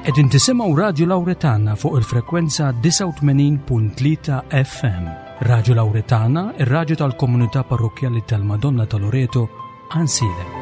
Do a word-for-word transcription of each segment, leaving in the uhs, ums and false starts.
Qegħdin tisimgħu Radju Lawretana fuq il-frekwenza disgħa u tmenin punt tlieta F M. Radju Lawretana, ir-radju tal-komunità parrokkjali tal-Madonna ta' Loreto, Għajnsielem.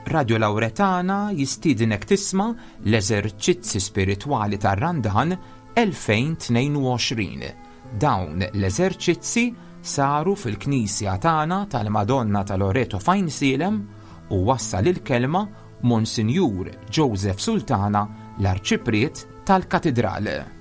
Radio Lawretana jistiedinek tisma' l-eżerċizzi spiritwali tar-Randan elfejn tnejn u għoxrin. Dawn l-eżerċizzi saru fil-Knisja tagħna tal-Madonna ta' Loreto f'Għajnsielem u wassal il-kelma Monsinjur Joseph Sultana, l-Arċipriet tal-Katidral.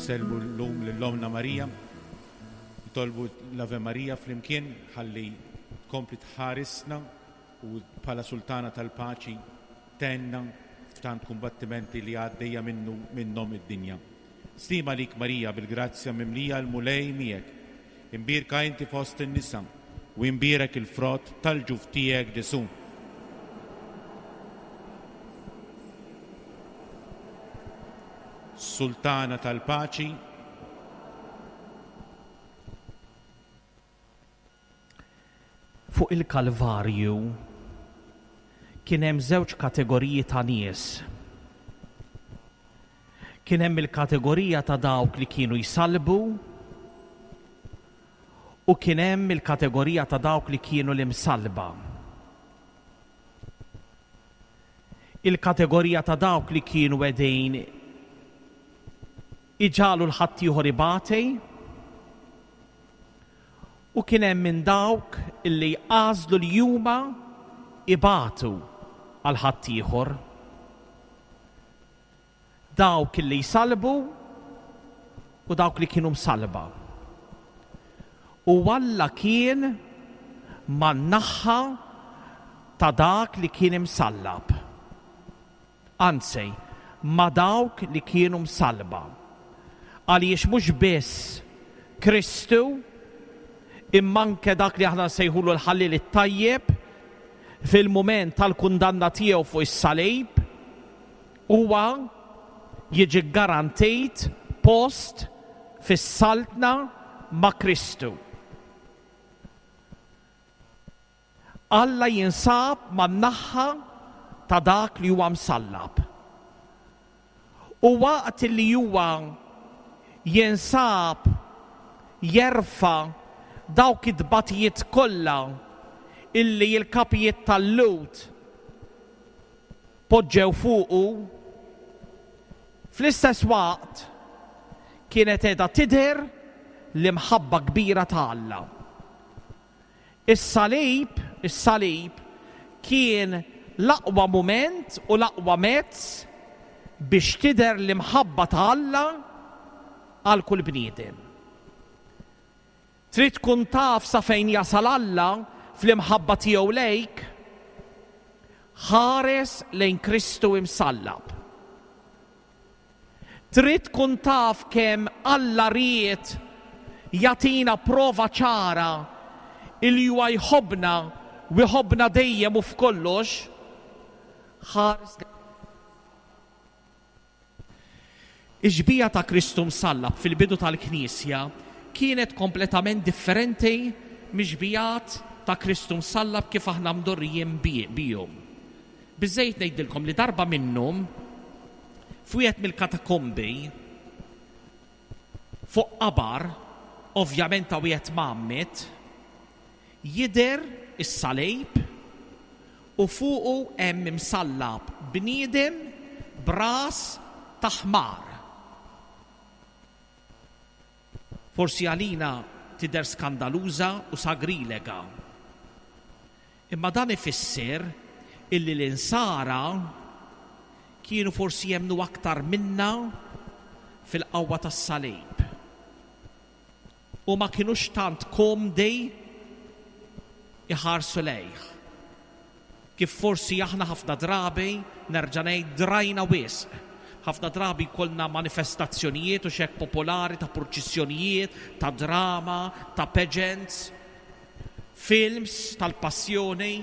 Insellmu llum lil Omna Marija, nitolbu l-Ave Marija flimkien ħalli tkompli tħarisna u bħala sultana tal-paċi tenna f'tant kumbattimenti li għaddejja minnu minnhom id-dinja. Stima lik Marija bil-grazzja mimlija l-Mulej miegħek. Imbierka inti fost in-nisa u imbierek il-frott tal-ġuf tiegħek Ġesu. Sultana tal-paċi. Fuq il-Kalvarju kien hemm żewġ kategoriji ta' nies. Kien hemm il-kategorija ta' dawk li kienu jsalbu u kien hemm il-kategorija ta' dawk li kienu l-imsalba. Il-kategorija ta' dawk li kienu qegħdin iġalu l-ħaddieħor ibati u kien hemm minn dawk illi għażlu li huma ibatu għal ħaddieħor. Dawk illi jsalbu u dawk li kienu msalba. U Alla kien man-naħa ta' dak li kien imsallab. Anzi, ma' dawk li kienu msalba. Għaliex mhux biss Kristu, imma anke dak li aħna nsejħulu l-ħallil it-tajjeb, fil-mument tal-kundanna tiegħu fuq is-salib, huwa jiġi garantit post fis-saltna ma' Kristu. Alla jinsab man-naħa ta' dak li huwa msallab. U waqt li huwa jinsab jerfa' dawk it-tbatijiet kollha illi l-kapijiet tal-Lhud poġġew fuqu, fl-istess waqt kienet qiegħda tidher l-imħabba kbira ta' Alla. Is-salib, is-salib kien l-aqwa mument u l-aqwa mezz biex tidher l-imħabba ta' Alla għal kull bniedem. Trid tkun taf sa fejn jasal Alla fl-imħabba tiegħu lejk, ħares lejn Kristu imsallab. Trid tkun taf kemm Alla ried jagħtina prova ċara illi huwa jħobbna u jħobbna dejjem u f'kollox, ħares lejn Ix-xbieha ta' Kristu msallab fil-bidu tal-Knisja kienet kompletament differenti mix-xbiehat ta' Kristu msallab kif aħna mdorrijin bi-, bihom. Biżejjed ngħidilkom li darba minnhom f'wieħed mill-katakombi fuq qabar, ovvjament ta' wieħed mgħammid, jidher is-salib u fuqu hemm imsallab bniedem b'ras ta' ħmar. Forsi għalina tidher skandaluża u sagrilega. Imma dan ifisser illi l-insara kienu forsi jemmnu aktar minna fil-qawwa tas-salib. U ma kinux tant komdi iħarsu lejh. Kif forsi aħna ħafna drabi, nerġa' ngħid, drajna wisq. Ħafna drabi jkollna manifestazzjonijiet u xek popolari ta' purċissjonijiet, ta' drama, ta' pageants, films tal-passjoni,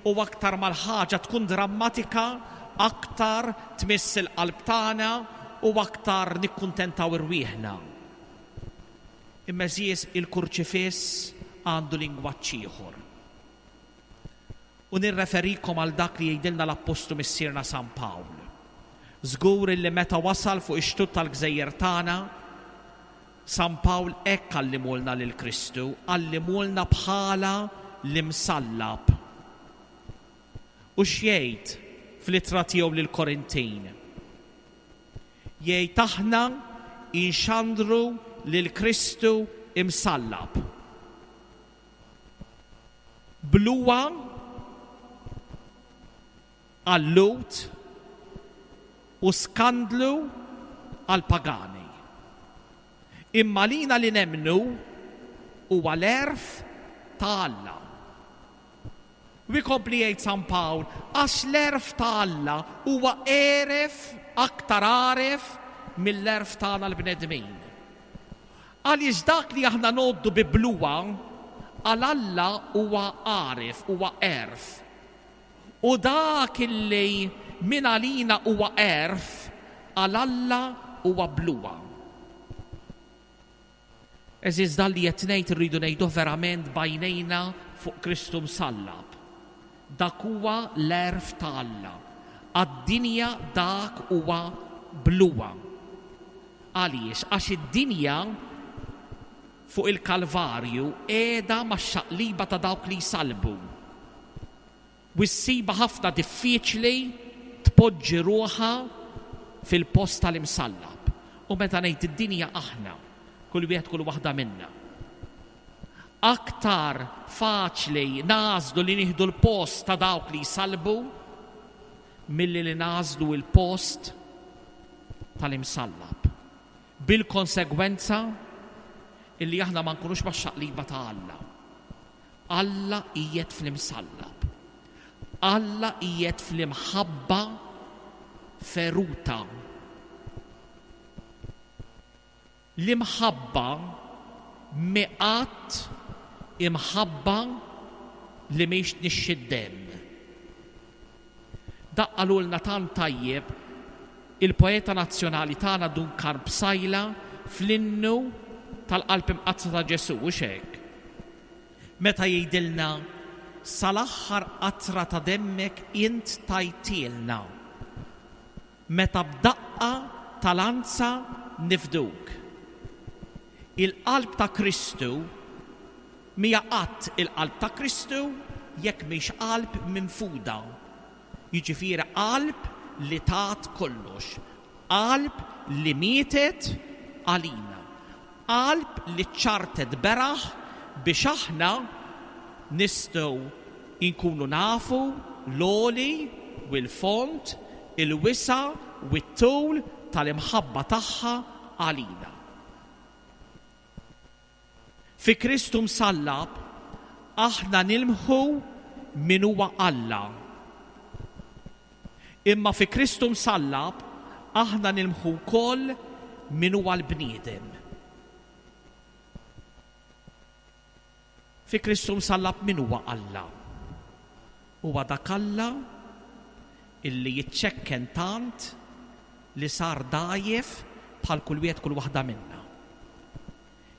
u aktar mal-ħaġa tkun drammatika, aktar tmiss il-qalb tagħna u aktar nikkuntentaw irwieħna. Imma għeżież, il-kurċifiss għandu lingwaġġ ieħor. U nirreferikom għal dak li jgħidilna l-Appostlu Missierna San Pawl. Żgur li meta wasal fuq ix-xtut tal-gżejjer tagħna, San Pawl hekk għallimulna lil Kristu, għallimulna bħala l-imsallab. U x'jgħid fl-ittra tiegħu lill-Korintin? Jgħid aħna inxandru lil Kristu imsallab. Bluha għal-Lhud u skandlu għal-pagani. Imma lina li nemmnu huwa l-għerf ta' Alla. U jkompli jgħid San Pawl, għax l-għerf ta' Alla huwa għeref, aktar għaref mill-għerf tagħna l-bnedmin. Għaliex dak li aħna ngħoddu bi bluha, għal Alla huwa għaref, huwa għerf. U dak illi min għalina huwa għerf, għal Alla huwa bluha. Għeżież, dan li qed ngħid irridu ngħidu verament b'għajnejna fuq Kristu msallab. Dak huwa l-għerf ta' Alla. Għad-dinja dak huwa bluha. Għaliex? Għax id-dinja fuq il-Kalvarju qiegħda max-xaqliba ta' dawk li jsalbu. U ssibha ħafna diffiċli tpoġġi ruħha fil-post tal-imsallab. U meta ngħid id-dinja aħna, kull wieħed kull waħda minna. Aktar faċli nagħżlu li nieħdu l-post ta' dawk li jsalbu milli li nagħżlu l-post tal-imsallab. Bil-konsegwenza illi aħna ma nkunux max-xaqliba ta' Alla. Alla qiegħed fl-imsallab. Alla qiegħed fl-imħabba feruta. L-imħabba mhi qatt imħabba li mhix tnixxi d-demm. Dak qalulna tant tajjeb il-poeta nazzjonali tagħna Dun Karm Psaila fl-innu tal-Qalb Imqaddsa ta' Ġesù, u hekk. Meta jgħidilna sal-aħħar qatra ta' demmek int tajtilna, meta b'daqqa tal-anza nifduk. Il-qalb ta' Kristu mija qatt il-qalb ta' Kristu jekk mhix qalb minfuda. Jiġifieri qalb li tat kollox, qalb li mietet għalina, qalb li ċartet beraħ biex aħna nistgħu inkunu nafu l-għoli u l-fond, il-wisa' u t-tul tal-imħabba tagħha għalina. Fi Kristu msallab aħna nilmħu min huwa Alla. Imma fi Kristu msallab aħna nilmħu wkoll min huwa l-bniedem. Fi Kristu msallab min huwa Alla? Huwa dak Alla illi jiċċekken tant li sar dgħajjef bħal kull wieħed kull waħda minna.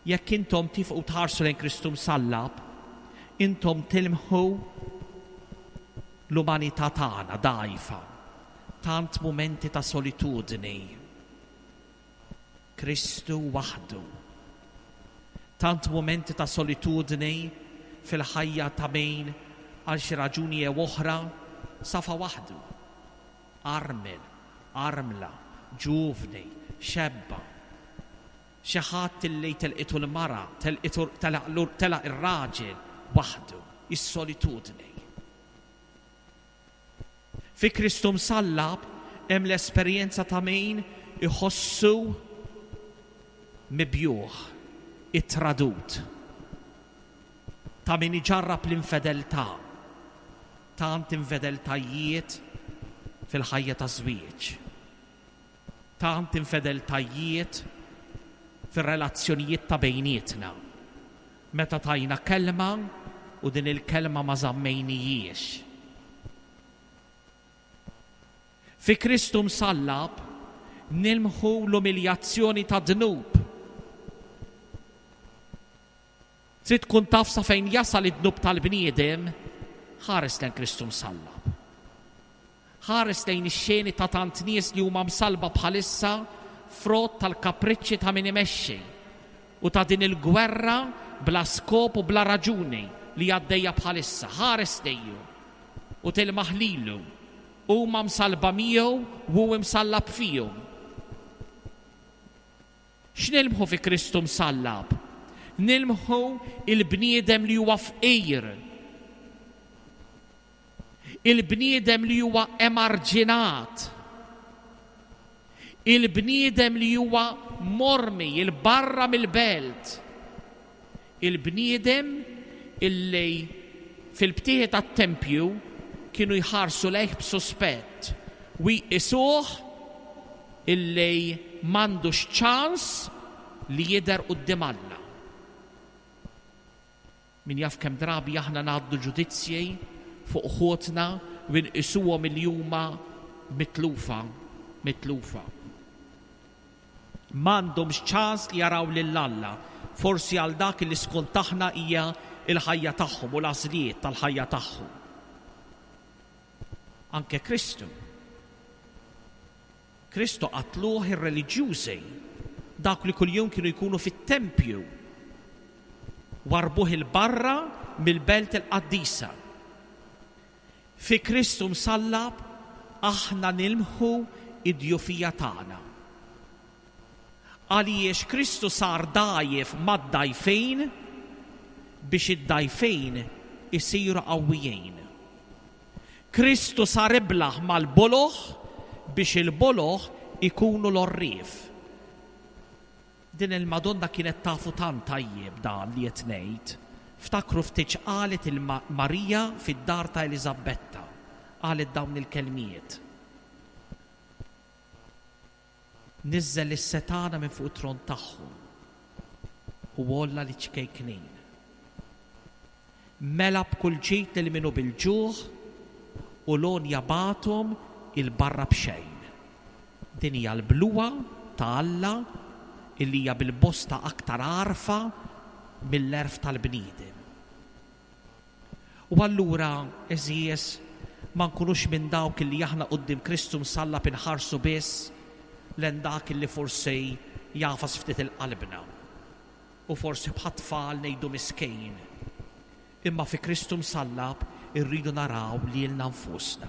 Jekk intom tifqu tħarsu lejn Kristu msallab, intom tilmħu l-umanità tagħna dgħajfa. Tant mumenti ta' solitudni. Kristu waħdu. Tant mumenti ta' solitudni fil-ħajja ta' min għal xi raġuni jew oħra safa waħdu. Armel, armla, ġuvni, xebba. Xi ħadd illi telqitu l-mara, telqitu, telaq ir-raġel waħdu, is-solitudni. Fi Kristu msallab hemm l-esperjenza ta' min iħossu mibjugħ, ittradut, ta' min iġarrab l-infedeltà, tant infedeltajiet fil-ħajja ta' żwieġ, tant infedeltajiet fir-relazzjonijiet ta' bejnietna. Meta tajna kelma u din il-kelma ma żammejnijiex. Fi Kristu msallab nilmħu l-umiljazzjoni ta' dnub. Trid tkun taf sa fejn jasal id-dnub tal-bniedem, ħares lejn Kristu msallab. Ħares lejn ix-xeni ta' tant nies li huma msalba bħalissa frott tal-kapriċċi ta' min imexxi u ta' din il-gwerra bla skop u bla raġuni li għaddejja bħalissa. Ħares lejju u tilmaħ lilu. Huma msalba miegħu u hu msallab fihom. X'nilmħu fi Kristu msallab? Nilmħu il-bniedem li huwa fqir. Il-bniedem li huwa emarġinat. Il-bniedem li huwa mormi il-barra mill-belt. Il-bniedem illi fil-btieħi tat-tempju kienu jħarsu lejh b'suspett u jqisuh illi m'għandux ċans li jidher quddiem Alla. Min jaf kemm drabi aħna ngħaddu ġudizzji fuq ħutna u nqisuhom li huma mitlufa, mitlufa. M'għandhomx ċans li jaraw lil Alla, forsi għal dak li skont aħna hija l-ħajja tagħhom u l-għażliet tal-ħajja tagħhom. Anke Kristu. Kristu qatluh ir-reliġjużi, dak li kuljum kienu jkunu fit-tempju, warbuh il-barra mill-belt il-qaddisa. Fi Kristu msallab aħna nilmħu id-djufija tagħna. Għaliex Kristu sar dgħajjef mad-dgħajfin biex id-dgħajfin isiru qawwijin. Kristu sar iblaħ mal-boloħ biex il-boloħ ikunu l-orrief. Din il-Madonna kienet tafu tant tajjeb dan li qed ngħid. Ftakru ftit qalet il-Marija fid-dar ta' Eliżabetta. Qalet dawn il-kelmiet. Niżżel is-setana minn fuq it-tron tagħhom u għolla li ċkejknin. Mela b'kull ġid lil min hu bil-ġuħ u l-għonja bagħthom il-barra b'xejn. Din hija l-bluha ta' Alla illi hija bil-bosta aktar għarfa mill-għerf tal-bniedem. U allura, għeżież, ma nkunux minn dawk illi aħna quddiem Kristu msallab inħarsu biss lejn dak illi forsi jafas ftit il-qalbna. U forsi bħat-tfal ngħidu miskejn. Imma fi Kristu msallab irridu naraw lilna nfusna.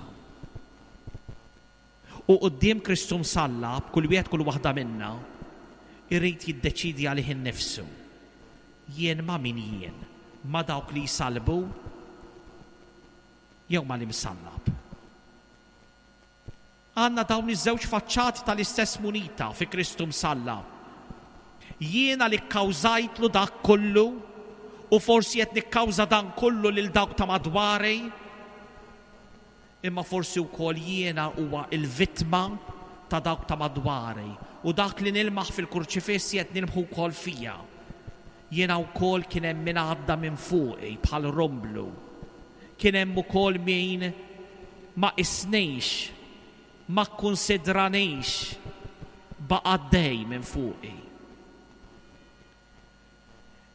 U quddiem Kristu msallab, kull wieħed kull waħda minna irrid jiddeċidi għalih innifsu. Jien ma' min jien? Ma' dawk li jsalbu jew ma' l-imsallab? Għandna dawn iż-żewġ faċċati tal-istess munita fi Kristu msallab. Jiena li kkawżajtlu dak kollu u forsi qed nikkawża dan kollu lil dawk ta' madwari, imma forsi wkoll jiena huwa l-vittma ta' dawk ta' madwari u dak li nilmaħ fil-kurċifiss qed nilmħu wkoll fija. Jiena wkoll kien hemm min għadda minn fuqi bħal romblu. Kien hemm ukoll min ma qisnix, ma kkunsidranix, baqa' għaddej minn fuqi.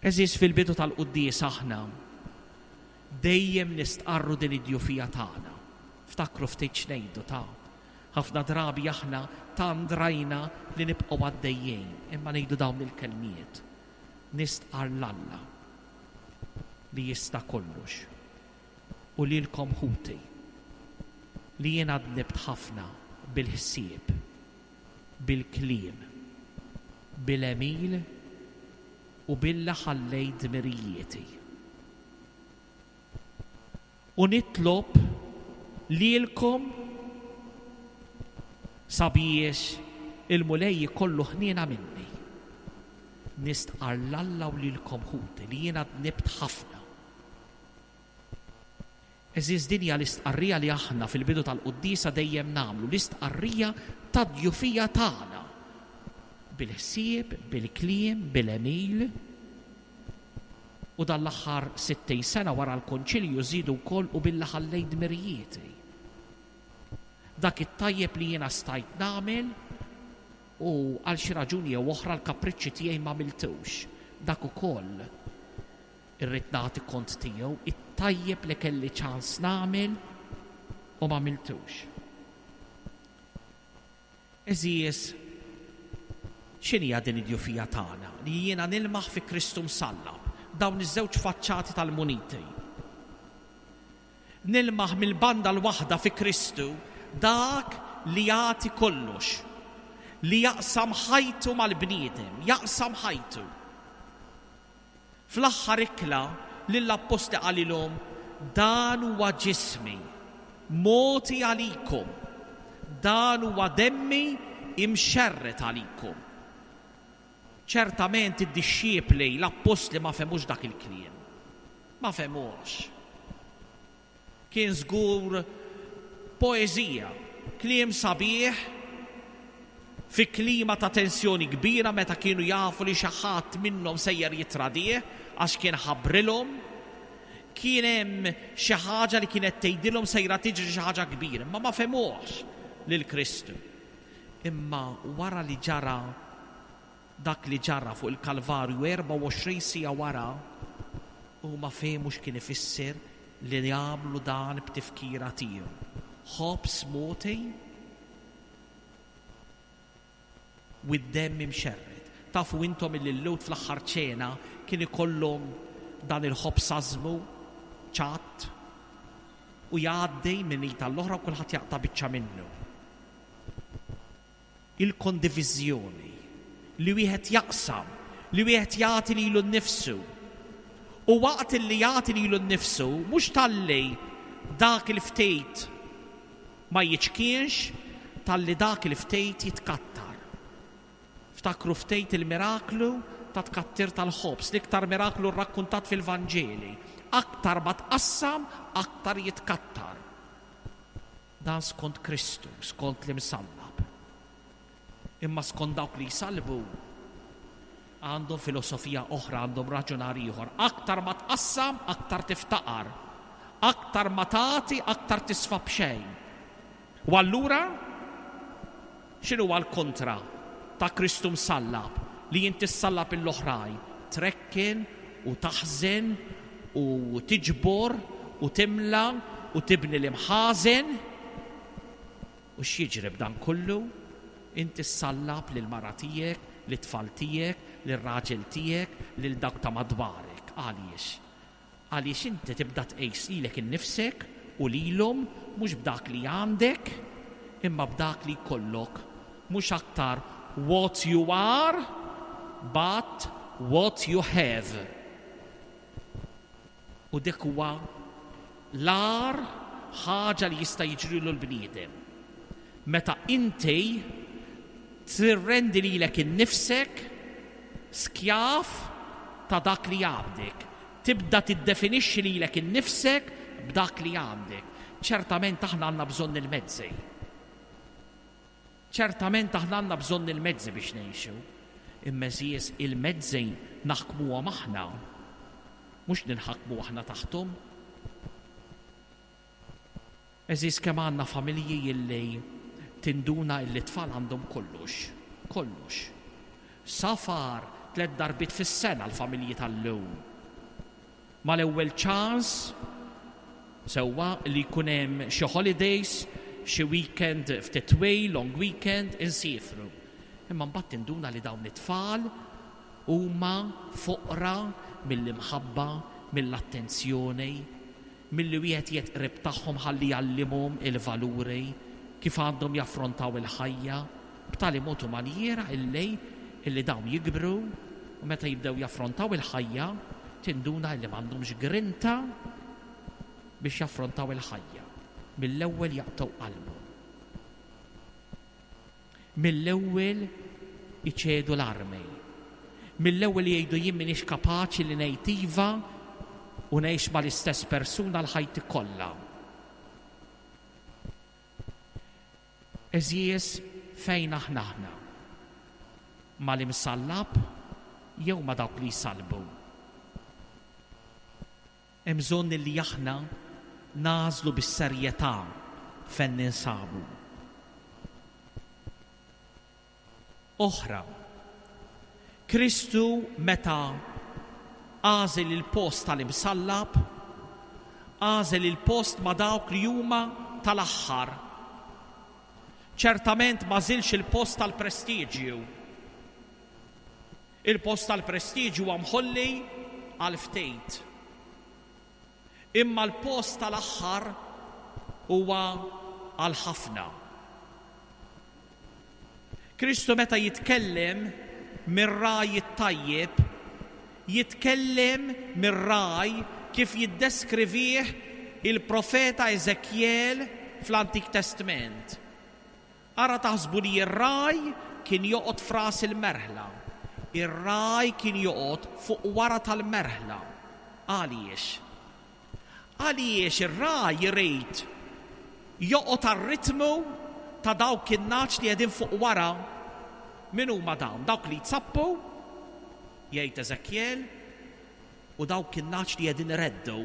Eżis, fil-bidu tal-quddies aħna dejjem nistqarru din id-djufija tagħna. Ftakru ftit x'ngħidu ta' ħafna drabi aħna tant rajna li nibqgħu għaddejjin, imma ngħidu dawn il-kelmiet. Nistqar l-Alla li jista' kollox u lilkom ħuti li jiena dnibt ħafna bil-ħsieb, bil-kliem, bil-għemil u billa ħallejt dmirijieti. U nitlob lilkom Sabiex il-Mulej ikollu ħniena minni. Nistqarr 'l Alla u lilkom, ħuti, li jiena dnibt ħafna. Għeżież, din hija l-istqarrija li aħna fil-bidu tal-quddiesa dejjem nagħmlu, l-istqarrija tad-djufija tagħna. Bil-ħsieb, bil-kliem, bil-għemil. U dan l-aħħar sittin sena wara l-konċilju żidu wkoll u billi ħallejt dmirijieti. Dak it-tajjeb li jiena stajt nagħmel u għal xi raġuni jew oħra l-kapriċċi tiegħi ma għamiltux. Dak ukoll irrid nagħti kont tiegħu, it-tajjeb li kelli ċans nagħmel u ma għamiltux. Għeżież, x'inhija din id-djufija tagħna li jiena nilmaħ fi Kristu msallab, dawn iż-żewġ faċċati tal-muniti? Nilmaħ mill-banda l-waħda fi Kristu dak li jagħti kollox, li jaqsam ħajtu mal-bniedem, jaqsam ħajtu. Fl-aħħar ikla lill-appostli qalilhom: "Dan huwa ġismi, mogħti għalikom, dan huwa demmi imxerred għalikom." Ċertament id-dixxipli, l-appostli, ma fehmux dak il-kliem. Ma fehmux. Kien żgur poeżija, kliem sabiħ fi klima ta' tensjoni kbira meta kienu jafu li xi ħadd minnhom sejjer jitradih għax kien ħabbrilhom. Kien hemm xi ħaġa li kienet tgħidilhom sejra tiġri xi ħaġa kbira, imma ma fehmuhx lil Kristu. Imma wara li ġara dak li ġara fuq il-Kalvarju, erbgħa u għoxrin siegħa wara, huma fehmu x'kien ifisser li jagħmlu dan b'tifkira tiegħu. Ħobż mogħti u d-demm imxerred. Tafu intom illi l-Lhud fl-aħħar ċena kien ikollhom dan il-ħobż ażmu ċatt u jgħaddi minn id l-oħra u kulħadd jaqta' biċċa minnu. Il-kondiviżjoni, li wieħed jaqsam, li wieħed jagħti lilu nnifsu. U waqt li jagħti lilu nnifsu, mhux talli dak il-ftejt ma jiċkienx, talli dak il-ftejt jitkattar. Ftakru ftejt il-miraklu ta' tkattir tal-ħobż, l-iktar miraklu rrakkuntat fil-Vanġeli. Aktar ma tqassam, aktar jitkattar. Dan skont Kristu, skont l-imsallab. Imma skont dawk li jsalbu, għandhom filosofija oħra, għandhom raġunar ieħor. Aktar ma tqassam, aktar tiftaqar. Aktar ma tagħti, aktar tisfa b'xejn. U allura x'inhu l-kontra ta' Kristu msallab? Li inti ssallab l-oħrajn, trekken u taħżen u tiġbor u timla u tibni l-imħażen. U x'jiġri b'dan kollu? Inti ssallab lil mara tiegħek, lit-tfal tiegħek, lir-raġel tiegħek, lil dawk ta' madwarek. Għaliex? Għaliex inti tibda tqis lilek innifsek u lilhom mhux b'dak li għandek, imma b'dak li jkollok. Mhux aktar what you are, but what you have. U dik huwa l-agħar ħaġa li jista' jiġrilu l-bniedem. Meta inti tirrendi lilek innifsek skjav ta' dak li għandek. Tibda tiddefinixxi lilek innifsek b'dak li għandek. Ċertament aħna għandna bżonn il-mezzi. Ċertament aħna għandna bżonn il-mezzi biex ngħixu. Imma, għeżież, il-mezzi naħkmuhom aħna. Mhux ninħakmu aħna taħthom. Għeżież, kemm għandna familji illi tinduna illi tfal għandhom kollox, kollox. Safar tliet darbiet fis-sena l-familji tal-lum. Mal-ewwel ċans sewwa li jkun hemm xi holidays, xi weekend ftit twil, long weekend, insifru. Imma mbagħad tinduna li dawn it-tfal huma foqra mill-imħabba, mill-attenzjoni, milli wieħed jetqrib tagħhom ħalli jgħallimhom il-valuri kif għandhom jaffrontaw il-ħajja b'tali mod u manjiera illi illi dawn jikbru u meta jibdew jaffrontaw il-ħajja tinduna illi m'għandhomx grinta biex jaffrontaw il-ħajja. Mill-ewwel jaqtgħu qalbu. Mill-ewwel iċedu l-armi. Mill-ewwel jgħidu jien m'iniex kapaċi li ngħid iva u ngħix mal-istess persuna l-ħajti kollha. Għeżież, fejn aħna aħna? Mal-imsallab jew ma' dawk li jsalbu? Hemm bżonn li aħna nagħżlu bis-serjetà fejn ninsabu. Oħra, Kristu meta għażel il-post tal-imsallab, għażel il-post ma' dawk li huma tal-aħħar. Ċertament ma żilx il-post tal-prestiġju. Il-post tal-prestiġju huwa mħolli għal ftit. Imma l-post tal-aħħar huwa għal ħafna. Kristu meta jitkellem mir-raj it-tajjeb, jitkellem mir-raj kif jiddeskrivih il-profeta Eżekjel fl-Antik Testament. Ara taħsbu li r-raj kien joqgħod f'ras il-merħla. Ir-raj kien joqgħod fuq wara tal-merħla. Għaliex? Għaliex ir-raj irid joqgħod għar-ritmu ta' dawk in-nagħaġ li qegħdin fuq wara. Min huma dawn? Dawk li jtsappu, jgħid Eżekjel, u dawk in-nagħaġ li qegħdin ireddu.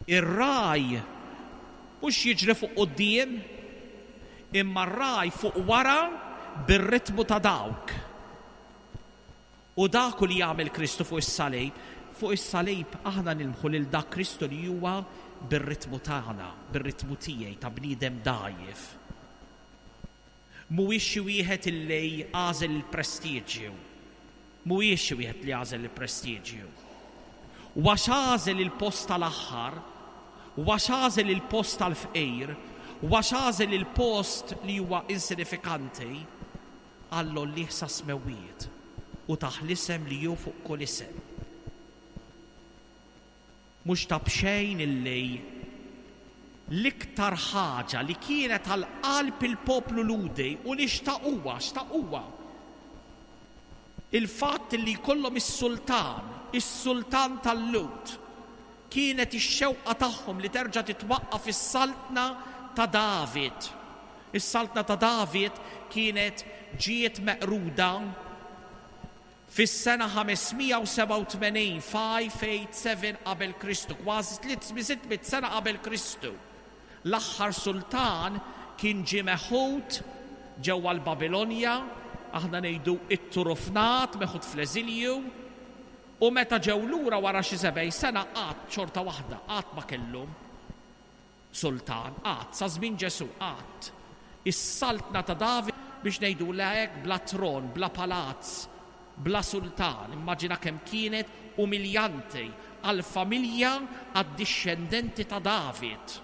Ir-raj mhux jiġri fuq quddiem, imma r-raj fuq wara bir-ritmu ta' dawk. U dak li jagħmel Kristu fuq is-salib, fuq is-salib aħna nilmħu lil dak Kristu li huwa bir-ritmu tagħna, bir-ritmu tiegħi ta' bniedem dgħajjef. Mhuwiex xi wieħed illi għażel il-prestiġju. Mhuwiex xi wieħed li għażel il-prestiġju. U għax għażel il-post tal-aħħar, u għax għażel il-post tal-fqir, u għax għażel il-post li huwa insinifikanti, Alla għollih sa smewwiet u tah l-isem li hu fuq kull isem. Mhux ta' b'xejn illi l-iktar ħaġa li kienet għal qalb il-poplu Lhudi u li xtaquha, xtaquha, il-fatt li jkollhom is-sultan, is-sultan tal-Lhud, kienet ix-xewqa tagħhom li terġa' titwaqqaf is-saltna ta' David. Is-saltna ta' David kienet ġiet meqruda fis-sena ħamesmija u sebgħa u tmenin, five eight seven qabel Kristu, kważi tliet sitt mitt sena qabel Kristu. L-aħħar sultan kien ġie meħud ġewwa l-Babilonja, aħna ngħidu it-turufnat, meħud fl-eżilju, u meta ġew lura wara xi sebgħin sena qatt xorta waħda, qatt ma kellhom sultan, qatt, sa żmien Ġesù qatt. Is-saltna ta' David, biex ngħidu hekk, bla tron, bla palazz, bla sultan. Immaġina kemm kienet umiljanti għall-familja, għad-dixxendenti ta' David.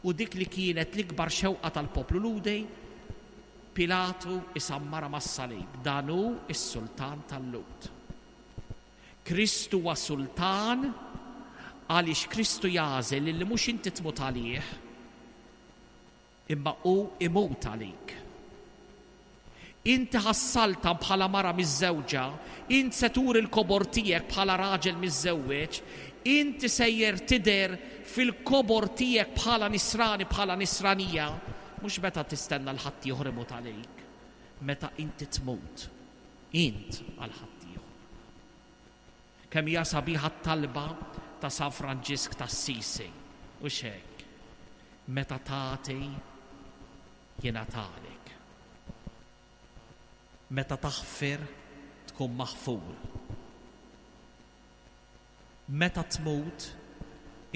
U dik li kienet l-ikbar xewqa tal-poplu Lhudi, Pilatu isammara mas-salib. Dan hu s-sultan tal-Lhud. Kristu huwa sultan għaliex Kristu jagħżel li mhux inti tmut għalih, imma hu imut għalik. Inti ħassalta bħala mara miżżewġa, int se turi l-kobor tiegħek bħala raġel miżżewweġ, inti sejjer tidher fil-kobor tiegħek bħala nisrani, bħala nisranija, mhux meta tistenna l ħadd ieħor imut għalik, meta inti tmut, int għal ħadd ieħor. Kemm hija sabiħa t-talba ta' San Franġisk t'Assisi, u x'hekk, meta tagħti jingħatalek. Meta taħfir tkun maħfur. Meta tmut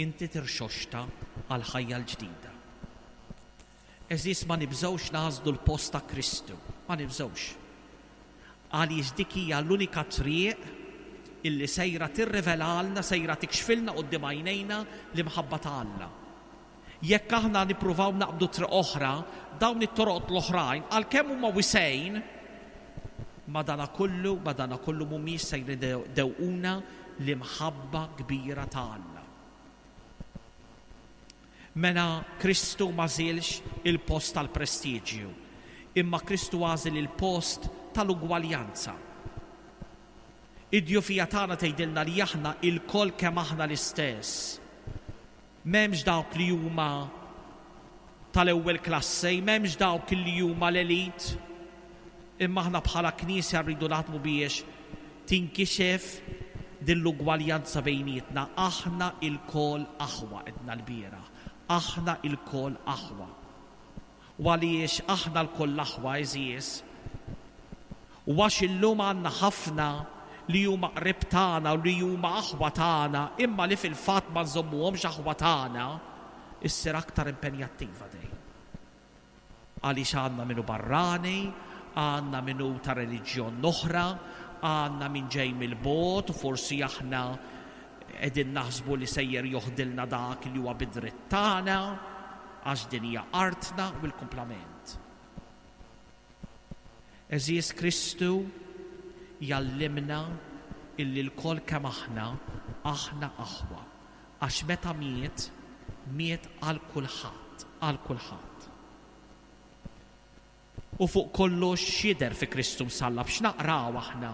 inti tirxoxta għal ħajja l-ġdida. Eżis, ma nibżgħux nażlu l-post ta' Kristu, ma nibżgħux. Għaliex dik hija l-unika triq illi sejra tirrivelalna, sejra tikxfilna quddiem għajnejna l-imħabba ta' Alla. Jekk aħna nippruvaw naqbdu triq oħra, dawn it-toroq l-oħrajn, għalkemm huma wisgħin, madanakollu, madanakollu mhumiex se jdewquna l-imħabba kbira ta' Alla. Mela Kristu m'għażilx il-post tal-prestiġju, imma Kristu għażel il-post tal-ugwaljanza. Id-djufija tagħna tgħidilna li aħna ilkoll kemm aħna l-istess. M'hemmx dawk li huma tal-ewwel klassi, m'hemmx dawk li huma l-elit, imma aħna bħala Knisja rridu naħdmu biex tinkixef din l-ugwaljanza bejnietna. Aħna ilkoll aħwa, għedna l-bieraħ. Aħna ilkoll aħwa. U għaliex aħna lkoll aħwa, għeżież? U għax illum għandna ħafna li huma qrib tagħna u li huma aħwa tagħna, imma li fil-fatt ma nżommuhomx aħwa tagħna, issir aktar impenjattiva dejjem. Għaliex għandna minnu barrani, għandna minnu ta' reliġjon oħra, għandna min ġej mill-bogħod, u forsi aħna qegħdin naħsbu li sejjer joħdilna dak li huwa bidritt tagħna, għax din hija artna u l-kumplament. Għeżież, Kristu jgħallimna illi lkoll kemm aħna, aħna aħwa. Għax meta miet, miet għal kulħadd, għal kulħadd. U fuq kollox x'jidher fi Kristu msallab, x'naqraw aħna?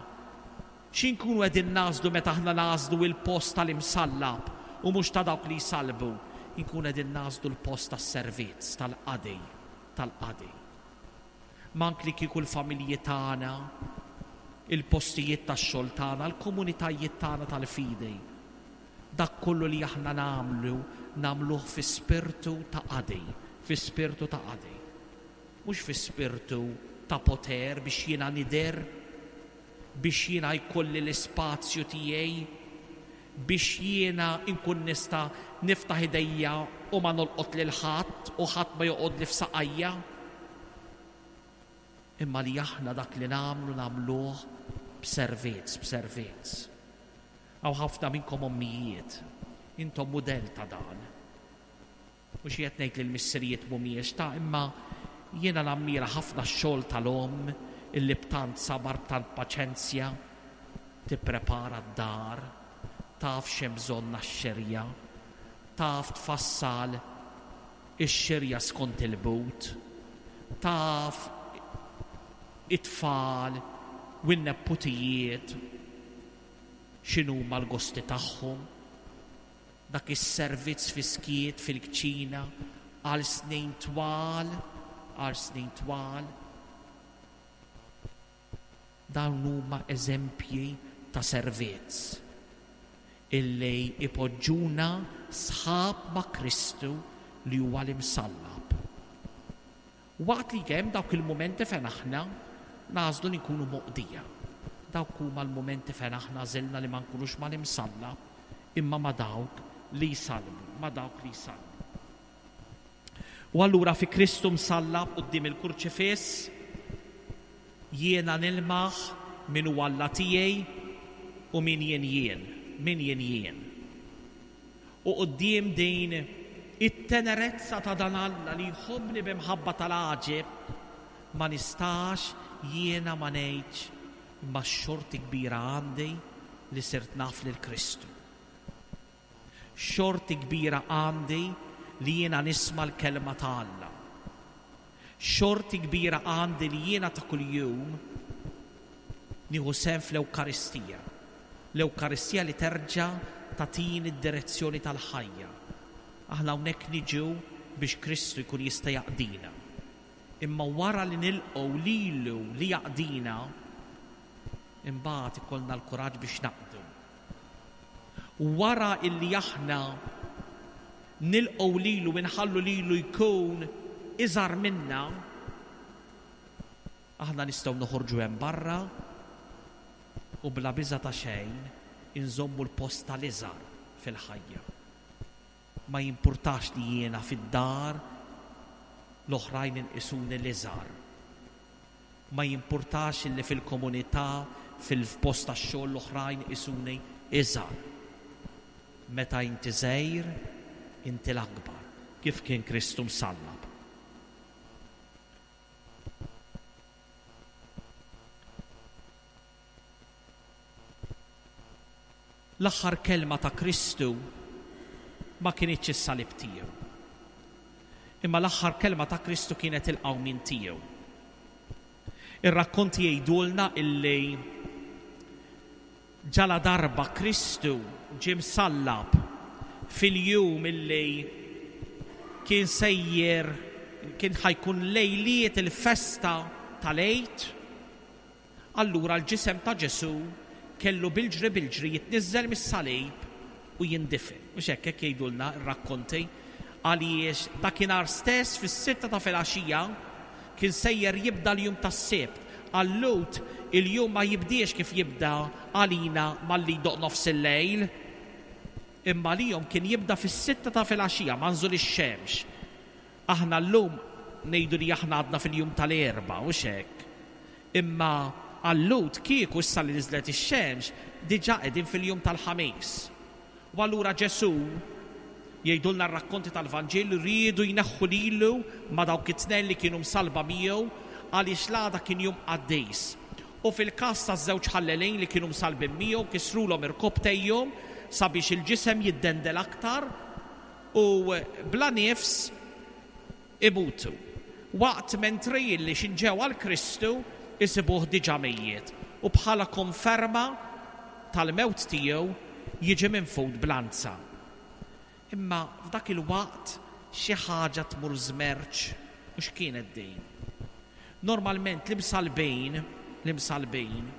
X'inkunu qegħdin nagħżlu meta aħna nagħżlu il-post tal-imsallab u mhux ta' dawk li jsalbu? Inkunu qegħdin nagħżlu l-post tas-servizz, tal-qadi, tal-qadi. Mank li kieku l-familji tagħna, il-postijiet tax-xogħol tagħna, l-komunitajiet tagħna tal-fidi. Dak kollu li aħna nagħmlu, nagħmluh fi spirtu ta' qadi, fi spirtu ta' qadi. Mhux fi spirtu ta' poter biex jiena nidher, biex jiena jkolli l-ispazju tiegħi, biex jiena nkun nista' niftaħ idejja u ma nolqot lil ħadd u ħadd ma joqgħod li f'saqajja. Imma li aħna dak li nagħmlu nagħmluh b'servizz, b'servizz. Hawn ħafna minnkom ommijiet, intom mudell ta' dan. U xi qed ngħid li l-missirijiet mhumiex ta', imma jiena nammira ħafna x-xogħol tal-omm illi b'tant sabar, b'tant paċenzja tipprepara d-dar, taf x'hemm bżonn għax-xirja, taf tfassal ix-xirja skont il-but, taf it-tfal u n-nepputijiet x'inhuma l-gosti tagħhom. Dak is-servizz fiskiet fil-kċina għal snin twal, għal snin twal. Dawn huma eżempji ta' servizz illi ipoġġuna sħab ma' Kristu li huwa l-imsallab. Waqt li hemm dawk il-mumenti fejn aħna nagħżlu li nkunu moqdija. Dawk huma l-mumenti fejn aħna għażilna li ma nkunux mal-imsallab, imma ma' dawk li jsalbu, ma' dawk li jsalbu. U allura fi Kristu msallab quddiem il-kurċifiss jiena nilmaħ min huwa Alla tiegħi u min jien jien, min jien jien. U quddiem din it-tenerezza ta' dan Alla li jħobbni b'imħabba tal-għaġeb, ma nistax jiena ma ngħidx imma xorti kbira għandi li sirt naf lil Kristu. Xorti kbira għandi li jiena nisma' l-kelma ta' Alla. Xorti kbira għandi li jiena ta' kuljum nieħu sehem fl-Ewkaristija. L-Ewkaristija li terġa' tagħtini d-direzzjoni tal-ħajja. Aħna hawnhekk niġu biex Kristu jkun jista' jaqdina. Imma wara li nilqgħu lilu li jaqdina, imbagħad ikollna l-kuraġġ biex naqdu. Wara illi aħna nilqgħu lilu u nħallu lilu jkun iżgħar minna, aħna nistgħu noħorġu hemm barra u bla biża' ta' xejn inżommu l-post tal-iżgħar fil-ħajja. Ma jimpurtax li jiena fid-dar l-oħrajn inqisuni l-iżgħar. Ma jimpurtax li fil-komunità, fil-post tax-xogħol l-oħrajn isuni iżgħar. Meta inti żgħir, inti l-akbar, kif kien Kristu msallab. L-aħħar kelma ta' Kristu ma kinitx is-salib tiegħu. Imma l-aħħar kelma ta' Kristu kienet il-qawmien tiegħu. Ir-rakkonti jgħidulna illi ġala darba Kristu ġie msallab fil-jum illi kien sejjer kien ħa jkun lejliet il-festa tal-Għid, allura l-ġisem ta' Ġesù kellu bilġri bilġri jitniżżel mis-salib u jindifen. U hekk hekk jgħidulna r-rakkonti, għaliex dakinhar stess fis-sitta ta' filgħaxija kien sejjer jibda l-jum tas-Sibt. Għal-Lhud il-jum ma jibdiex kif jibda għalina malli jdoqq nofs il-lejl, imma għalihom kien jibda fis-sitta ta' filgħaxija ma' nżul ix-xemx. Aħna llum ngħidu li aħna għadna fil-jum tal-Erbgħa, u hekk. Imma għal-Lhud kieku issa li niżlet ix-xemx diġà qegħdin fil-jum tal-Ħamis. U allura Ġesù, jgħidulna r-rakkonti tal-Vanġelu, riedu jneħħu lilu ma' dawk it-tnejn li kienu msallba miegħu għaliex l-għada kien jum qaddis. U fil-każ taż-żewġ ħallelin li kienu msallbin miegħu kisrulhom irkopptejhom sabiex il-ġisem jiddendel aktar u bla nifs imutu. Waqt mentri li x'inġew għal Kristu isibuh diġà mejjet u bħala konferma tal-mewt tiegħu jiġi minfud b'lanza. Imma f'dak il-waqt xi ħaġa tmur żmerċ, u x'kienet din? Normalment l-imsallbin, l-imsallbin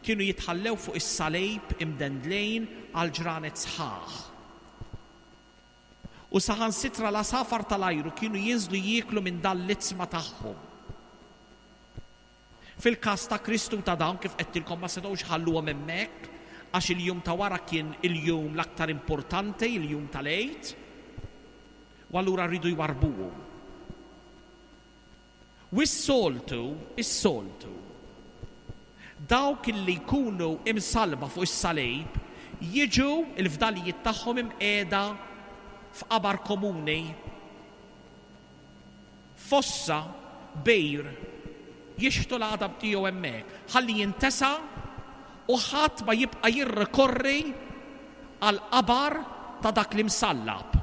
kienu jitħallew fuq is-salib imdendlejn għal ġranet sħaħ. U saħansitra l-għasafar tal-ajru kienu jinżlu jieklu minn dan l-itzma tagħhom. Fil-każ ta' Kristu ta' dawn kif qedtilkom ma setgħux ħalluhom hemmhekk, għax il-jum ta' wara kien il-jum l-aktar importanti, il-jum tal-Għid, u allura rridu jwarbuhom. U s-soltu, is-soltu, dawk li jkunu imsallba fuq is-salib jiġu il-fdalijiet tagħhom imqiegħda f'qabar komuni, fossa, bejr, jixtu l-għadam tiegħu hemmhekk, ħalli jintesa u ħadd ma jibqa' jirrikorri għal qabar ta' dak li msallab.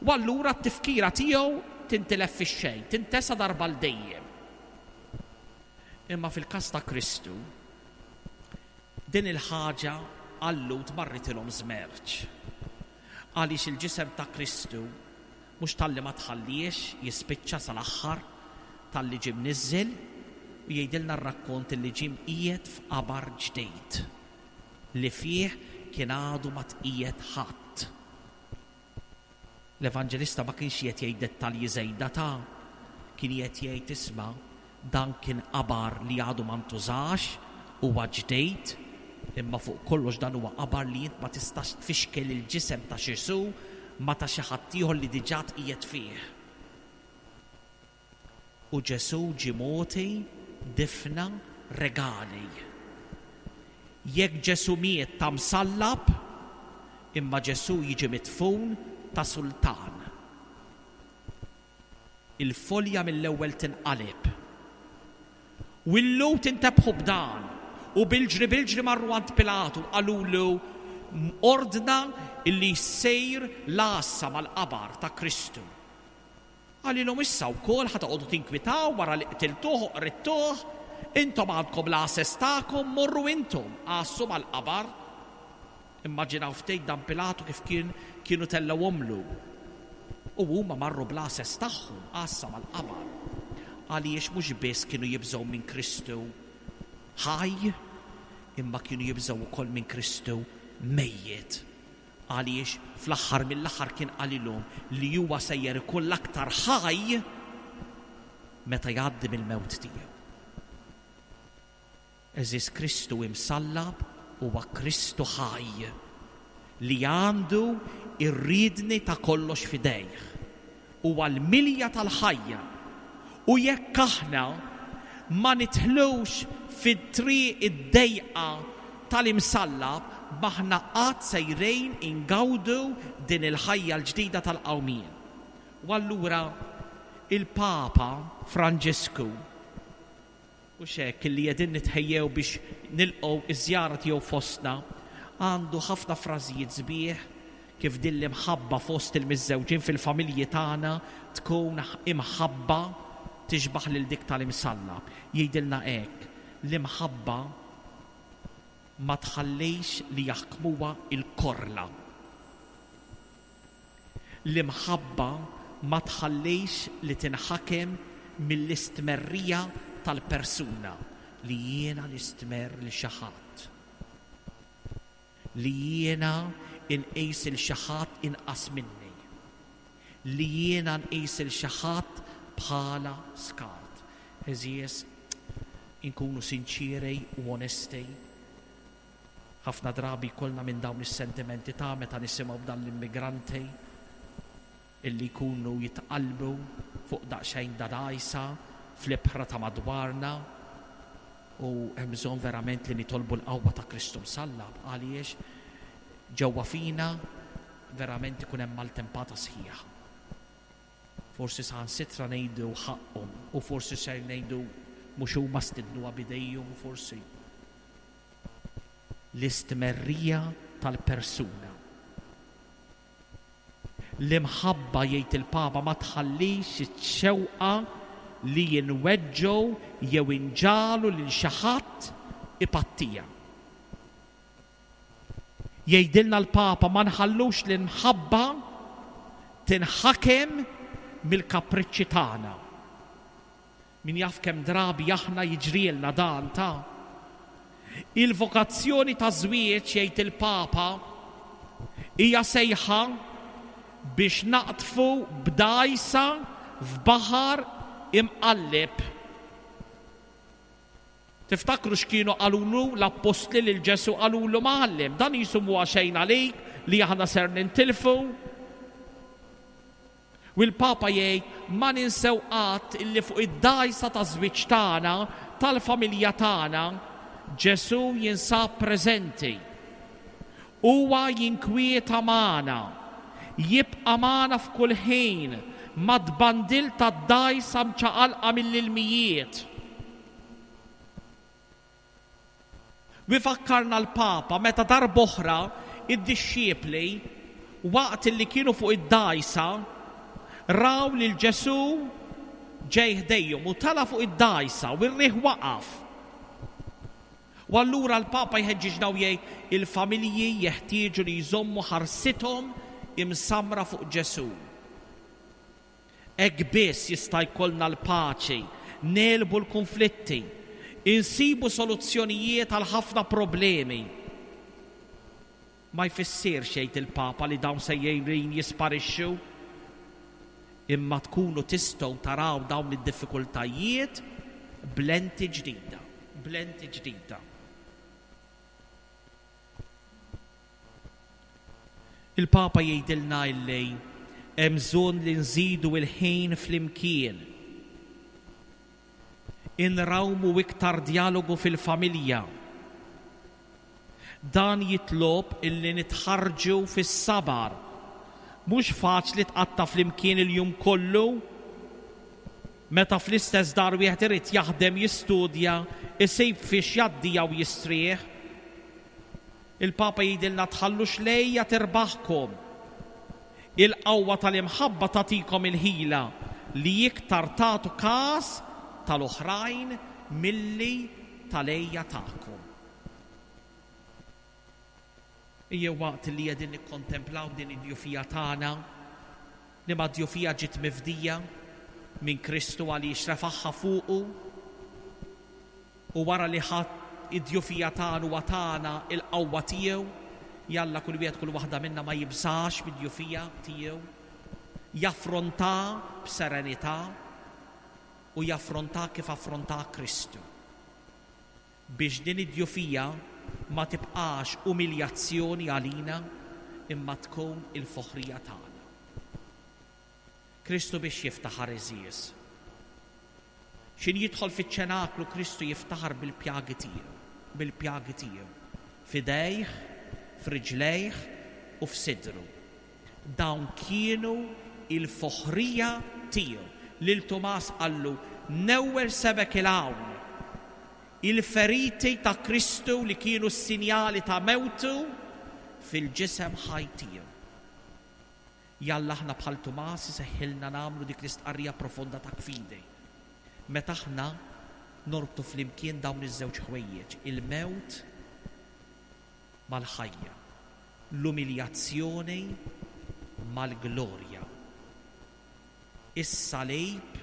U allura t-tifkira tiegħu tintilef fix-xejn, tintesa darba l dejjem. Imma fil-każ ta' Kristu, din il-ħaġa għal-Lhud marritilhom żmerċ. Għaliex il-ġisem ta' Kristu mhux talli ma tħalliex jispiċċa sal-aħħar, talli ġie mniżżel, u jgħidilna r-rakkont li ġie mqiegħed f'qabar ġdid li fih kien għadu ma tqiegħed ħadd. L-Evanġelista ma kienx qed jgħid dettalji żejda ta' kien qed jgħid isma' dan kien qabar li għadu ma ntużax, huwa ġdid, imma fuq kollox dan huwa qabar li int ma tistax tfixkel il-ġisem ta' Ġesù ma ta' xi ħadd ieħor li diġà tqiegħed fih. U Ġesù ġie mogħti difna regali. Jekk Ġesù miet ta' msallab, imma Ġesù jiġi midfun ta' sultan. Il-folja mill-ewwel tinqaleb. U l-Lhud intebħu b'dan, u bilġri bilġri marru għand Pilatu, qalulu ordna illi jsejr l-għassa mal-qabar ta' Kristu. Qalilhom issa wkoll ħa toqogħdu tinkwitaw wara li qtiltuh u qridtuh, intom għandkom l-għases tagħkom, morru intom għassu mal-qabar. Immaġinaw ftit dan Pilatu kif kien kienu tellgħuhomlu. U huma marru bl-għases tagħhom għassa mal-qabar. Għaliex mhux biss kienu jibżgħu minn Kristu ħaj, imma kienu jibżgħu wkoll minn Kristu mejjet. Għaliex fl-aħħar mill-aħħar kien qalilhom li huwa sejjer ikun l-aktar ħaj meta jgħaddi mill-mewt tiegħu. Eżis Kristu imsallab huwa Kristu ħaj li għandu ir-riedni ta' kollox f'idejh. Huwa l-milja tal-ħajja. U jekk aħna ma nidħlux fit-triq id-dejqa tal-imsallab, maħna qatt sejrejn ingawdu din il-ħajja l-ġdida tal-qawmien. U allura il-Papa Franġisku, u xek li qegħdin nitħejjew biex nilqgħu iż-żjara tiegħu fostna, għandu ħafna frażijiet sbieħ kif din l-imħabba fost il-miżżewġin fil-familji tagħna tkun imħabba tixbaħ lil dik tal-imsallab. Jgħidilna hekk, l-imħabba ma tħallix li jaħkmuha il-korla. L-imħabba ma tħallix li tinħakem mill-istmerrija tal-persuna li jiena nistmerr lil xi ħadd. Li jiena inqis lil xi ħadd inqas minni. Li jiena nqis lil xi ħadd bħala skart. Għeżież, inkunu sinċiri u onesti. Ħafna drabi kollna minn dawn is-sentimenti ta' meta nisimgħu b'dan l-immigranti illi jkunu jitqalbu fuq daqsxejn dgħajsa fl-ibħra ta' madwarna, u hemm bżonn verament li nitolbu l-qawwa ta' Kristu msallab, għaliex ġewwa fina verament ikun hemm maltempata sħiħa. Forsi saħansitra ngħidu ħaqhom, u forsi ser ngħidu mhux huma stidnuha b'idejhom, forsi. L-istmerrija tal-persuna. L-imħabba, jgħid il-Papa, ma tħallix iċ-xewqa li jinweġġgħu jew inġagħlu lil xi ħadd ipattija. Jgħidilna l-Papa ma nħallux l-imħabba tinħakem mill-kapriċċi tagħna. Min jaf kemm drabi aħna jiġrielna dan ta' il-vokazzjoni ta' żwieġ, jgħid il-Papa, hija sejħa biex naqtfu b'dgħajsa f'baħar imqalleb. Tiftakru x'kienu qalulu l-appostli lil Ġesu? Qalulu, "Mgħallem, dan qisu mhuwa xejn għalik li aħna ser nintilfu." U l-Papa jgħid ma ninsew qatt illi fuq id-dgħajsa ta' żwieġ tagħna, tal-familja tagħna, Ġesu jinsab preżenti. Huwa jinkwieta magħna, jibqa' magħna f'kull ħin mat-tbandil tad-dgħajsa mċaqalqa mill-ilmijiet. U jfakkarna l-Papa meta darb'oħra id-dixxipli waqt li kienu fuq id-dgħajsa raw lil Ġesu ġej ħdejhom u tala fuq id-dgħajsa u r-riħ waqaf. U allura l-Papa jħeġġiġna u jgħid il-familji jeħtieġu li jżommu ħarsithom imsamra fuq Ġesu. Hekk biss jista' jkollna l-paċi, negħlbu l-konflitti, insibu soluzzjonijiet għal ħafna problemi. Ma jfissirx, jgħid il-Papa, li dawn sejrin jisparixxu, imma tkunu tistgħu taraw dawn id-diffikultajiet b'lenti ġdida, b'lenti ġdida. Il-Papa jgħidilna illi hemm bżonn li nżidu il-ħin flimkien. Inrawmu iktar dialogu fil-familja. Dan jitlob illi nitħarġu fis-sabar. Mhux faċli tqatta' flimkien il-jum kollu meta fl-istess dar wieħed irid jaħdem, jistudja, isib fiex jgħaddija u jistrieħ. Il-Papa jgħidilna tħallux l-għeja tirbaħkom. Il-qawwa tal-imħabba tagħtikom il-ħila li iktar tagħtu każ tal-oħrajn milli tal-għeja tagħkom. Ejjew waqt li qegħdin nikkontemplaw din id-djufija tagħna, li ma djufija ġiet mifdija minn Kristu għaliex refaħħa fuqu, u wara li ħadd id-djufija tagħna u tagħna il-qawwa tiegħu, jalla kull wieħed kull waħda minna ma jibżax mid-djufija tiegħu, jaffronta b'serenità u jaffronta kif affronta Kristu. Biex din id-djufija ma tibqax umiljazzjoni għalina imma tkun il-foħrija tagħna. Kristu biex jiftaħar, għeżież. X'ħin jidħol fiċ-ċenaklu Kristu jiftaħar bil-pjagi tiegħu, bil-pjagi tiegħu, f'idejh, f'riġlejh u f'sidru. Dawn kienu il-foħrija tiegħu. Lil Tumas qallu, newwel sebgħek 'il hawn. Il-feriti ta' Kristu li kienu s-sinjali ta' mewtu fil-ġisem ħaj tiegħu. Jalla aħna bħal Tumas iseħħilna nagħmlu dik l-istqarrija profonda ta' fidi. Meta aħna norbtu flimkien dawn iż-żewġ ħwejjeġ, il-mewt mal-ħajja, l-umiljazzjoni mal-glorja, is-salib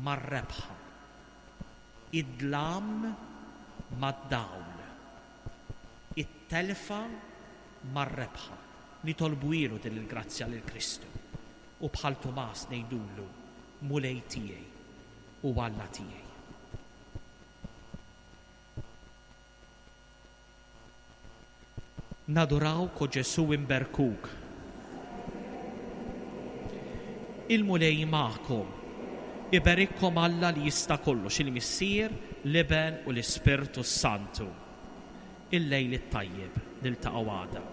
mar-rebħa, id-dlam mad-dawl, it-telfa mar-rebħa. Nitolbuhielu din il-grazzja lil Kristu u bħal Tumas ngħidulu Mulej tiegħi u Alla tiegħi. Nadurawk o Ġesu imberkuk. Il-Mulej magħkom. Iberikkom Alla li jista' kollox, il-Missier, l-Iben u l-Ispirtu Santu. Il-lejl it-tajjeb, niltaqgħu għada.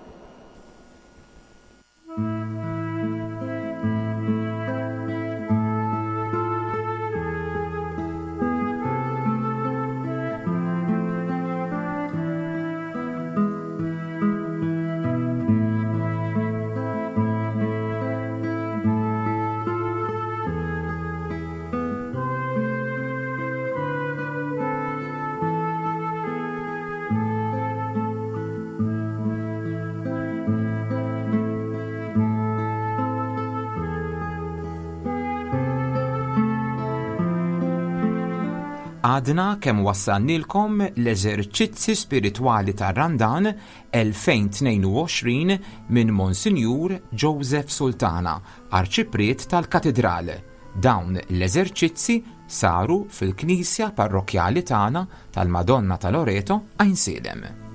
Għadna kemm wassalnilkom l-eżerċizzi spiritwali tar-Randan elfejn tnejn u għoxrin minn Monsinjur Joseph Sultana, Arċipriet tal-Katidral. Dawn l-eżerċizzi saru fil-Knisja Parrokkjali tagħna tal-Madonna ta' Loreto, Għajnsielem.